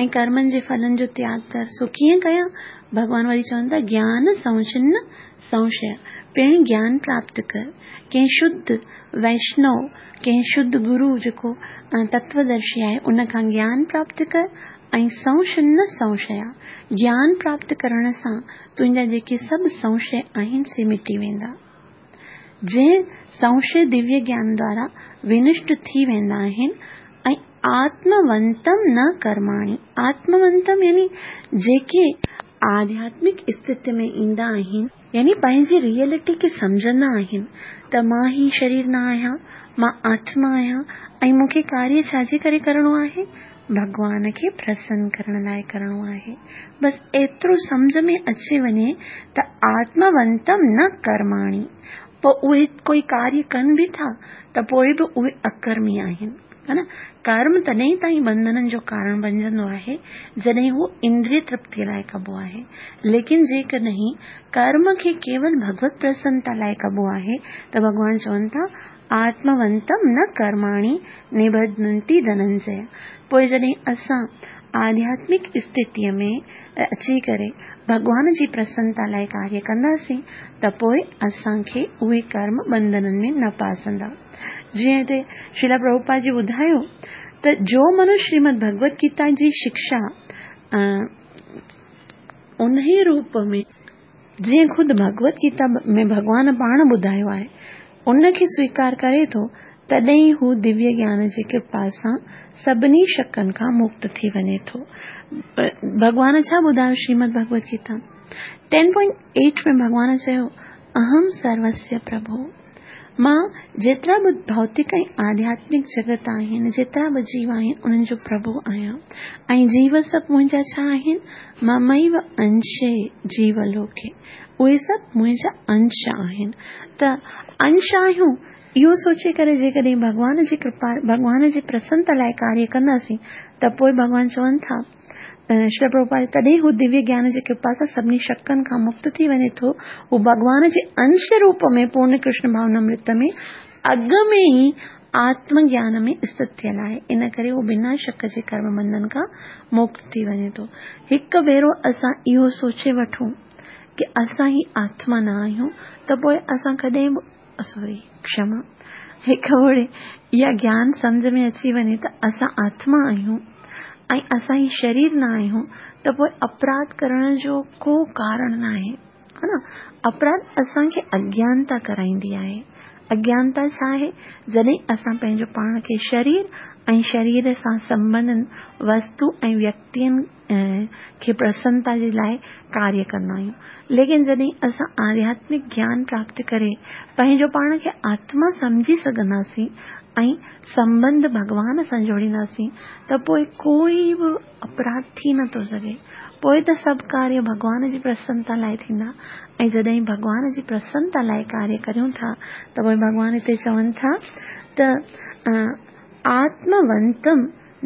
۽ ڪرمن جي ڦلن جو تياڳ ڪر. سو ڪيئن ڪيان؟ ڀڳوان وري چون ٿا گيان سنڇن سنشي، پهرين گيان پراپت ڪر، ڪنهن شڌ ويشنو، ڪنهن شڌ گرو جيڪو تتودرشي آهي ان کان گيان پراپت ڪر ۽ سنڇن سنشيا، گيان پراپت ڪرڻ سان تنهنجا جيڪي سڀ سنشي آهن سي مٽي ويندا. جنهن سنشي دويه گيان دوارا ونشٽ ٿي ويندا آهن. ۽ آتمونتم نه ڪرماڻي، آتمونتم يعني جيڪي آڌياتمڪ اسٿتي ۾ ايندا آهن، يعني پنهنجي ريئلٽي کي سمجهندا آهن ته مان هي شرير نه آهيان، مان آتما آهيان ۽ مون کي ڪاريه ڇا جي ڪري ڪرڻو آهي؟ ڀڳوان کي پرسن ڪرڻ لاءِ ڪرڻو آهي. بس ايترو سمجهه ۾ اچي وڃي ته آتمونتم نه ڪرماڻي، پوءِ اهي ڪوئي ڪاريه ڪن به ٿا ته پوءِ به اهي اڪرمي آهن، ها نه؟ ڪرم تڏهن تائين بنڌنن جو ڪارڻ بڻجندو آهي جڏهن اهو اندريه ترپتيءَ لاءِ ڪبو آهي. ليڪن جيڪڏهن ڪرم کي ڪيول ڀڳوت پرسنتا لاءِ ڪبو آهي ته ڀڳوان چون ٿا آتمونتم نه ڪرماڻي نبڌنتي ڌننجي. پوءِ جڏهن اسان آڌياتمڪ اسٿتيءَ ۾ اچي ڪري ڀڳوان جي پرسنتا لاءِ ڪاريه ڪنداسين ته پوءِ اسان کي اهي ڪرم بنڌنن ۾ نه ڦاسندا. جيئن هتي شريلا پرڀوپاد جي ٻڌايو ته جو منشيه شريمد ڀڳوت گيتا جي شڪشا ان ئي روپ ۾ جيئن خود ڀڳوت گيتا ۾ ڀڳوان پاڻ ٻڌايو آهي ان کي سويڪار ڪري ٿو، تڏهن هو دويه گيان جي ڪرپا سان سڀني شڪن کان مڪت ٿي وڃي ٿو. ڀڳوان ڇا ٻڌايو شريمد ڀڳوت گيتا ٽين پوائنٽ ايٽ ۾ ڀڳوان چيو اهم سروسيه پرڀو، مان جيترا به ڀوتڪ ۽ آڌياتمڪ جڳت آهن، جيترا به جيو آهن انهن جو پرڀو آهيان ۽ جيو سڀ منهنجا ڇا آهن؟ مميو انشي جيو لوڪي، اهي سڀ منهنجا انش آهن. ته انش آهيون اهو سوچي ڪري جيڪڏهن ڀڳوان جي ڪرپا، ڀڳوان جي پرسنتا لاءِ ڪاريه ڪنداسين ته پوءِ ڀڳوان چون ٿا شري پرڀوپاد، تڏهن هو دويه گيان جي ڪرپا سان سڀني شڪن کان مڪت ٿي وڃي ٿو. هو ڀڳوان جي انش روپ ۾ پورڻ ڪرشن ڀاونامرت ۾ اڳ ۾ ئي آتم گيان ۾ اسٿت ٿيل آهي، ان ڪري هو بنا شڪ جي ڪرم بنڌن کان مڪت ٿي وڃي ٿو. هڪ ڀيرو اسان اهو سوچي وٺون ڪه اسان هي آتما نه آهيون ته پوءِ اسان ڪڏهن به سوري ڪشما، هڪ ڀيري اها گيان سمجهه ۾ اچي وڃي ته اسان آتما آهيون ۽ اسان هي شرير نه آهيون ته پوءِ اپراڌ ڪرڻ جو ڪو ڪارڻ نه آهي، ها نه؟ اپراڌ اسان کي اگيانتا ڪرائيندي آهي. اگيانتا ڇا آهي؟ جڏهن اسان پنهنجو پاڻ کي شرير ۽ شرير سان سنٻنڌ وستو ۽ ويڪتين کي پرسنتا جي لاءِ ڪاريه ڪندا آهيون. ليڪن جڏهن اسان آڌياتمڪ گيان پراپت ڪري پنهنجو پاڻ کي آتما سمجهي سگهنداسين ۽ سنٻنڌ ڀڳوان سان جوڙينداسين ته پوءِ ڪوئي به اپراڌ ٿي نٿو سگهي. پوءِ ته سڀ ڪاريه ڀڳوان جي پرسنتا لاءِ ٿيندا ۽ جڏهن ڀڳوان جي پرسنتا لاءِ ڪاريه ڪريون ٿا ته پوءِ ڀڳوان هتي چون ٿا ته آتمونتم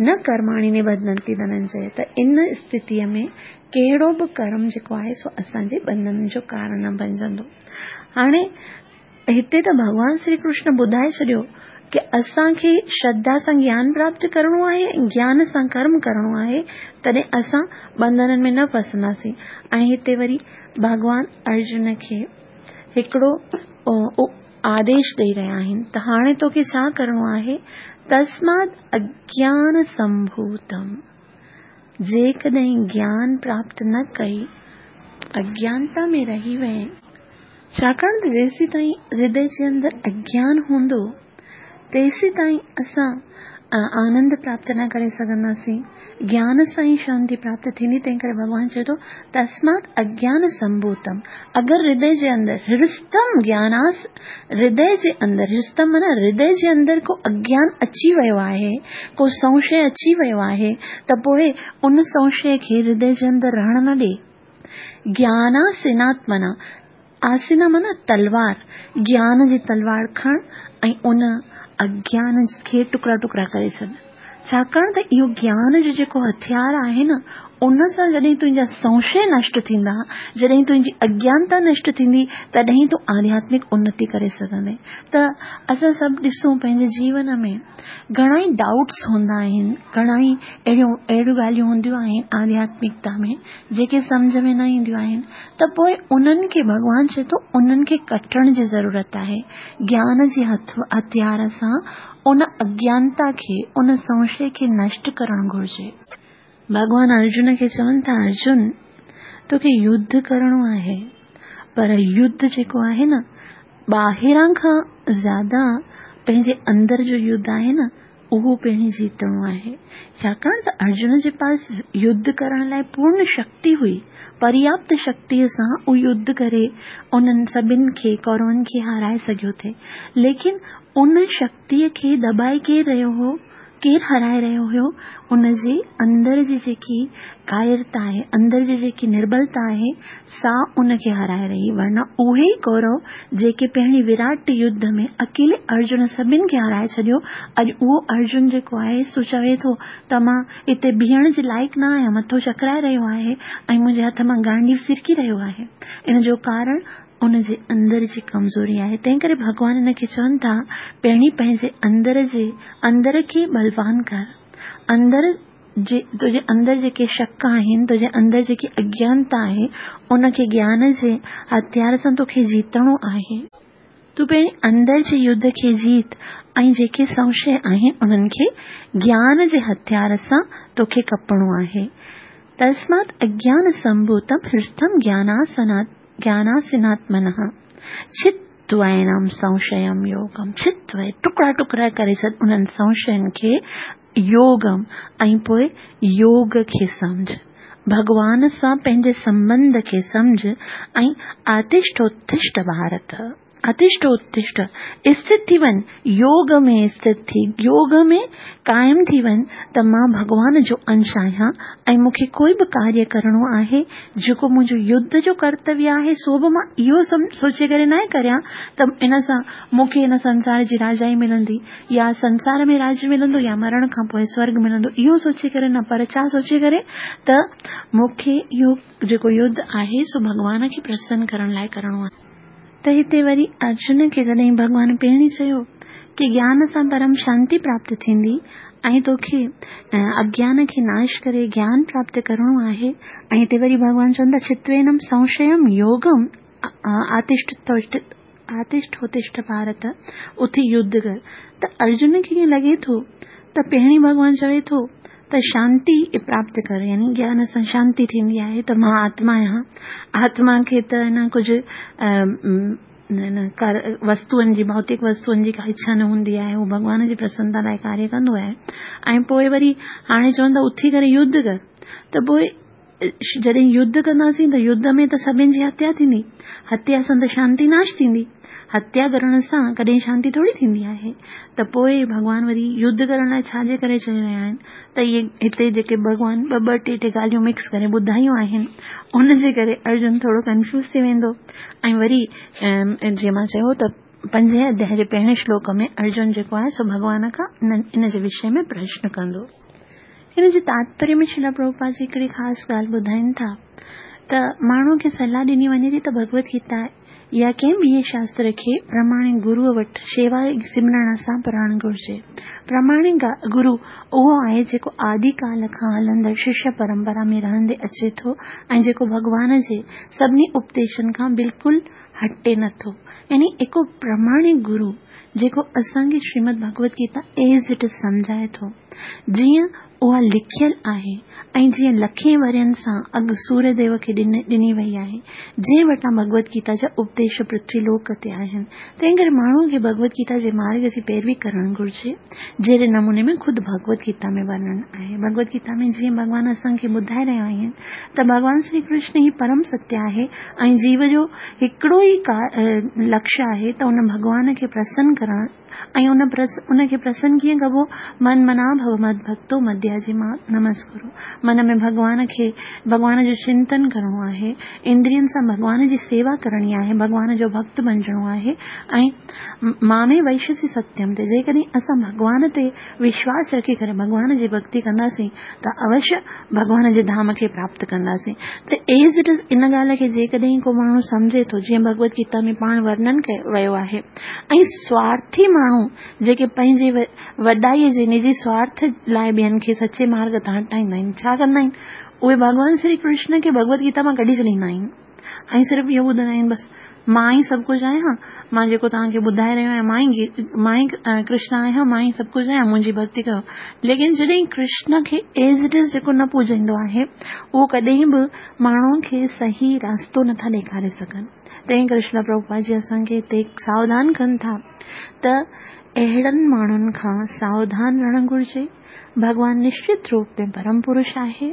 نه ڪرماڻي نبڌنتي ڌننجي، ته ان اسٿتيءَ ۾ ڪهڙو به ڪرم جيڪو آهي سو اسان جي بنڌن جو ڪارڻ نه بڻجندو. هاڻي هتي ته ڀڳوان شري ڪرشن ٻڌائي ڇڏيو ڪه اسان کي شرڌا سان گيان پراپت ڪرڻو آهي ۽ گيان سان ڪرم ڪرڻو آهي، تڏهن اسان بنڌنن ۾ نه ڦسنداسين. ۽ هتي وري ڀڳوان ارجن کي هڪڙو آديش ڏيئي رهيا آهن ته هاڻي توکي ڇا ڪرڻو آهي؟ تسمات اگيان سنڀوتم، جيڪڏهن گيان پراپت نه ڪئي، اگيانتا ۾ رهي وئين، ڇاڪاڻ ته جيسين تائين هردي جي اندر اگيان هوندو تيسين تائين اسان آنند پراپت نه ڪري سگهنداسين. گيان سان ئي شانتي پراپت ٿيندي. تنهن ڪري ڀڳوان چئي ٿو تسمات اگيان سنڀوتم، اگر هردي جي اندر هرستم گياناس، هردي جي اندر هرستم معنيٰ هردي جي اندر ڪو اگيان اچي ويو آهي، ڪو سنشي اچي ويو آهي ته پوءِ ان سنشي کي هردي جي اندر رهڻ نه ڏي. گياناسيناتمنا، آسينا معنيٰ تلوار، گيان جي تلوار کڻ ۽ ان اگيان کي ٽڪڙا ٽڪڙا ڪري ڇڏ. ڇاڪاڻ ته اهو گيان جو جيڪو هٿيار آهي نه ان سان جڏهن تنهنجا سنشي نشٽ ٿيندا، جڏهن تنهنجي اگيانتا نشٽ ٿيندي، تڏهن تون آڌياتمڪ انتي ڪري سگهندين. ته اسان سڀ ڏسون پنهنجي جيون ۾ گهڻا ئي ڊائوٽس هوندا آهن، گهڻا ئي اهڙيون اهڙيون ڳالهيون هونديون آهن آڌياتمڪتا ۾ جيڪي سمجهه ۾ نه اينديون آهن، ته پوءِ انهن کي ڀڳوان چئي ٿو انهن کي ڪٽڻ جي ضرورت آهي. گيان جي هٿيار سان ان اگيانتا کي، ان سنشي کي نشٽ ڪرڻ گهرجي. ڀڳوان ارجن کي چون ٿا، ارجن توکي يڌ ڪرڻو آهي، پر يڌ جيڪو آهي نه ٻاهران کان زياده پنهنجي اندر جو يڌ آهي نه اهو پهرين جيتڻو آهي. ڇاڪاڻ ته ارجن جي پاس يڌ ڪرڻ لاءِ پورڻ شڪتي هئي، پرياپت شڪتيءَ سان اهو يڌ ڪري انهن سڀني کي ڪورون کي هارائي سگهيو ٿي، ليڪن ان شڪتيءَ کي دٻائي ڪير رهيو هو، ڪير هارائي رهيو هيو؟ ان جي اندر جي جيڪي ڪايرتا آهي، اندر جي جيڪي نربلتا آهي، سا ان کي هارائي رهي. ورنه اهي ئي ڪورو جيڪي پهرين وراٽ يڌ ۾ اڪيلي ارجن سڀني کي هارائي ڇڏيو، اڄ اهو ارجن جيڪو آهي سو چوي ٿو ته مان هتي بيهڻ جي لائق نه آهيان، مٿو چڪرائي رهيو آهي ۽ منهنجي هٿ مان گانڊيو سرڪي رهيو آهي. ان جو ڪارڻ ان جي اندر جي ڪمزوري آهي. تنهن ڪري ڀڳوان هن کي چون ٿا پهرين پنهنجي اندر جي اندر کي بلوان ڪر، اندر جي تنهنجي اندر جيڪي شڪ آهن، تنهنجي اندر جيڪي اگيانتا آهي، ان کي گيان جي هٿيار سان توکي جيتڻو آهي. تون پهرين اندر جي يڌ کي جيت ۽ جيڪي سنشي آهن انهن کي گيان جي هٿيار سان توکي ڪپڻو آهي. تسمات اگيان سمڀوتم هرستم گياناسنات ज्ञानासिनात्मनः छित्त्वैनं संशयं योगम। छित्त्वै टुकड़ा टुकड़ा करे छॾ उन्हनि संशयनि खे, योगम ऐं पोइ योग खे सम्झ, भॻवान सां पंहिंजे संबंध खे सम्झ ऐं आतिष्ठोत्तिष्ठ भारत, आतिष्ठोत्तिष्ठ स्थित थी वञ, योग में स्थित थी, योग में क़ाइम थी वञ त मां भॻवान जो अंश आहियां ऐं मूंखे कोई बि कार्य करिणो आहे जेको मुंहिंजो युद्ध जो कर्तव्य आहे सो बि मां इहो सोचे करे न करियां त इन सां मूंखे हिन संसार जी राजाई मिलंदी या संसार में राज मिलंदो या मरण खां पोइ स्वर्ग मिलंदो, इहो सोचे करे न, पर छा सोचे करे त मूंखे इहो जेको युद्ध आहे सो भॻवान खे प्रसन्न करण लाइ करिणो आहे। त हिते वरी अर्जुन खे जॾहिं भॻवान पहिरीं चयो की ज्ञान सां परम शांति प्राप्त थींदी ऐं तोखे अज्ञान खे नाश करे ज्ञान प्राप्त करिणो आहे, ऐं हिते वरी भॻवान चवनि था छित्वेनम संशयम योगम आतिष्ठोत्तिष्ठ भारत, उथी युद्ध कर। त अर्जुन खे ईअं लॻे थो त पहिरीं भॻवान चवे थो त शांति प्राप्त कर, यानी ज्ञान सां शांति थींदी आहे त मां आत्मा आहियां, आत्मा खे त न कुझु वस्तुअनि जी, भौतिक वस्तुअनि जी का इच्छा न हूंदी आहे, हू भॻवान जी प्रसन्नता लाइ कार्य कंदो आहे। ऐं पोइ वरी हाणे चवनि था उथी करे युद्ध कर, त पोइ जॾहिं युद्ध कंदासीं त युद्ध में त सभिनी जी हत्या थींदी, हत्या सां त शांति नाश थींदी, हत्या करण सां कॾहिं शांति थोरी थींदी आहे। त पोइ भॻवान वरी युद्ध करण लाइ छाजे करे चई रहिया आहिनि त इहे हिते जेके भॻवान ॿ ॿ टे टे ॻाल्हियूं मिक्स करे ॿुधायूं आहिनि उनजे करे अर्जुन थोरो कन्फ्यूज़ थी वेंदो। ऐं वरी जीअं मां चयो त पंजे अध्याय जे पहिरें श्लोक में अर्जुन जेको आहे सो भॻवान खां इन जे विषय में प्रश्न कंदो। हिन जे तात्पर्य में श्रील प्रभुपाद जी हिकिड़ी ख़ासि ॻाल्हि ॿुधाइनि था त माण्हू खे सलाह ॾिनी वञे थी त भगवत गीता या कंहिं ॿिए शास्त्र खे प्रमाणिक गुरूअ वटि शेवा सिमरण सां पढ़णु घुरिजे। प्रमाणिक गुरू उहो आहे जेको आदिकाल खां हलंदड़ शिष्य परंपरा में रहंदे अचे थो ऐं जेको भॻवान जे सभिनी उपदेशनि खां बिल्कुलु हटे नथो, यानी हिकु प्रमाणिक गुरू जेको असांखे Shrimad Bhagavad Gita as it is सम्झाए थो, जीअं उहा लिखियल आहे ऐं जीअं लखे वरियनि सां अॻु सूर्यदेव खे ॾिनी वई आहे, जंहिं वटां भगवत गीता जा उपदेश पृथ्वीलोक ते आहिनि। तंहिं करे माण्हू खे भगवत गीता जे मार्ग जी पैरवी करणु घुरिजे, जहिड़े नमूने में ख़ुदि भगवत गीता में वर्णन आहे। भगवत गीता में जीअं भॻवान असांखे ॿुधाए रहिया आहिनि त भॻवान श्री कृष्ण ई परम सत्य आहे ऐं जीव जो हिकिड़ो ई लक्ष्य आहे त उन भॻवान खे प्रसन्न करणु ऐं उन उनखे प्रसन्न कीअं कबो? मन मना भव मद भक्तो मध्य وديا جي مان نمسڪرو. من ۾ ڀڳوان کي، ڀڳوان جو چنتن ڪرڻو آهي، اندرين سان ڀڳوان جي سيوا ڪرڻي آهي، ڀڳوان جو ڀڳت بڻجڻو آهي ۽ مامي ويشسي ستيم تي جيڪڏهن اسان ڀڳوان تي وشواس رکي ڪري ڀڳوان جي ڀڳتي ڪنداسين ته اوشيه ڀڳوان جي ڌام کي پراپت ڪنداسين. ته ايز it is ان ڳالهه کي جيڪڏهن ڪو ماڻهو سمجهي ٿو، جيئن ڀڳوت گيتا ۾ پاڻ ورڻن ڪيو ويو آهي، ۽ سوارٿي ماڻهو جيڪي پنهنجي وڏائيء جي نجي سوارٿ لاءِ ٻين کي سچي مارگ تان هٽائيندا آهن، ڇا ڪندا آهن؟ اهي ڀڳوان شري ڪرشن کي ڀڳوت گيتا مان ڪڍي ڇڏيندا آهن ۽ صرف اهو ٻڌندا آهن بس مان ئي سڀ ڪجهه آهيان، مان جيڪو توهان کي ٻڌائي رهيو آهيان مان ئي مان ئي ڪرشن آهيان، مان ئي سڀ ڪجهه آهيان، منهنجي ڀڳتي ڪيو. ليڪن جڏهن ڪرشن کي ايز it is جيڪو نه پوڄيندو آهي اهو ڪڏهن به ماڻهن کي صحيح راستو نٿا ڏيکاري سگهن. تنهن ڪري شريل پرڀوپاد جي اسان کي هتي ساوڌان ڪن ٿا ته اهڙن ماڻهن کان ساوڌان رهڻ گهرجي. ڀڳوان نشچت روپ ۾ پرم پرش آهي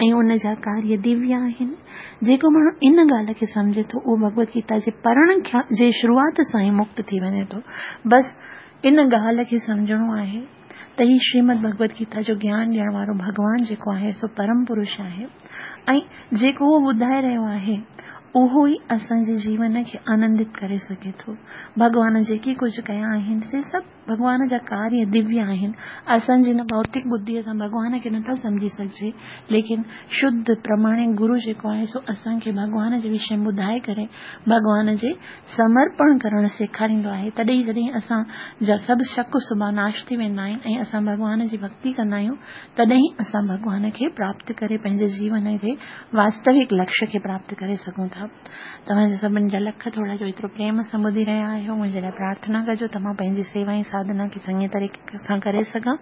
۽ ان جا ڪاريه دويه آهن. جيڪو ماڻهو ان ڳالهه کي سمجهي ٿو اهو ڀڳوت گيتا جي پڙهڻ جي شروعات سان ئي مڪت ٿي وڃي ٿو. بس ان ڳالهه کي سمجهڻو آهي ته هي شريمد ڀڳوت گيتا جو گيان ڏيڻ وارو ڀڳوان جيڪو آهي سو پرم پرش آهي ۽ جيڪو اهو ٻڌائي رهيو آهي اهو ئي اسان جي جيون کي آنندت ڪري سگهي ٿو. ڀڳوان جيڪي ڪجهه ڪيا آهن سي سڀ ڀڳوان جا ڪاريه دويه آهن. اسان جي هن ڀوتڪ ٻڌيءَ سان ڀڳوان کي نٿا سمجهي سگهجي، ليڪن شڌ پرماڻڪ گرو جيڪو آهي سو اسان کي ڀڳوان جي وشي ۾ ٻڌائي ڪري ڀڳوان جي سمرپڻ ڪرڻ سيکاريندو آهي. تڏهن جڏهن اسان جا سڀ شڪ شبا ناش ٿي ويندا آهن ۽ اسان ڀڳوان جي ڀڳتي ڪندا آهيون، تڏهن اسان ڀڳوان کي پراپت ڪري پنهنجي جيون جي واستوڪ لڪشيه کي پراپت ڪري سگهون ٿا. توهان جا سڀني جا لک ٿورا جو ايترو پريم سان ٻڌي رهيا آهيو. منهنجي لاءِ پرارٿنا ڪجو ته مان پنهنجي سيوا ۽ ساڌنا کي چڱي طريقي سان ڪري سگهان.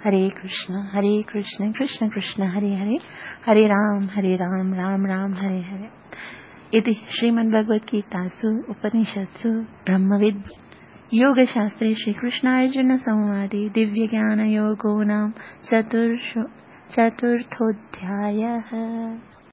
هري ڪرشن هري ڪرشن ڪرشن ڪرشن هري هري، هري رام هري رام رام رام هري هري. इति श्रीमद्भगवद्गीतासु उपनिषत्सु ब्रह्मविद् योगशास्त्रे श्रीकृष्णार्जुन संवादे दिव्यज्ञानयोगो नाम चतुर्षु चतुर्थोऽध्यायः।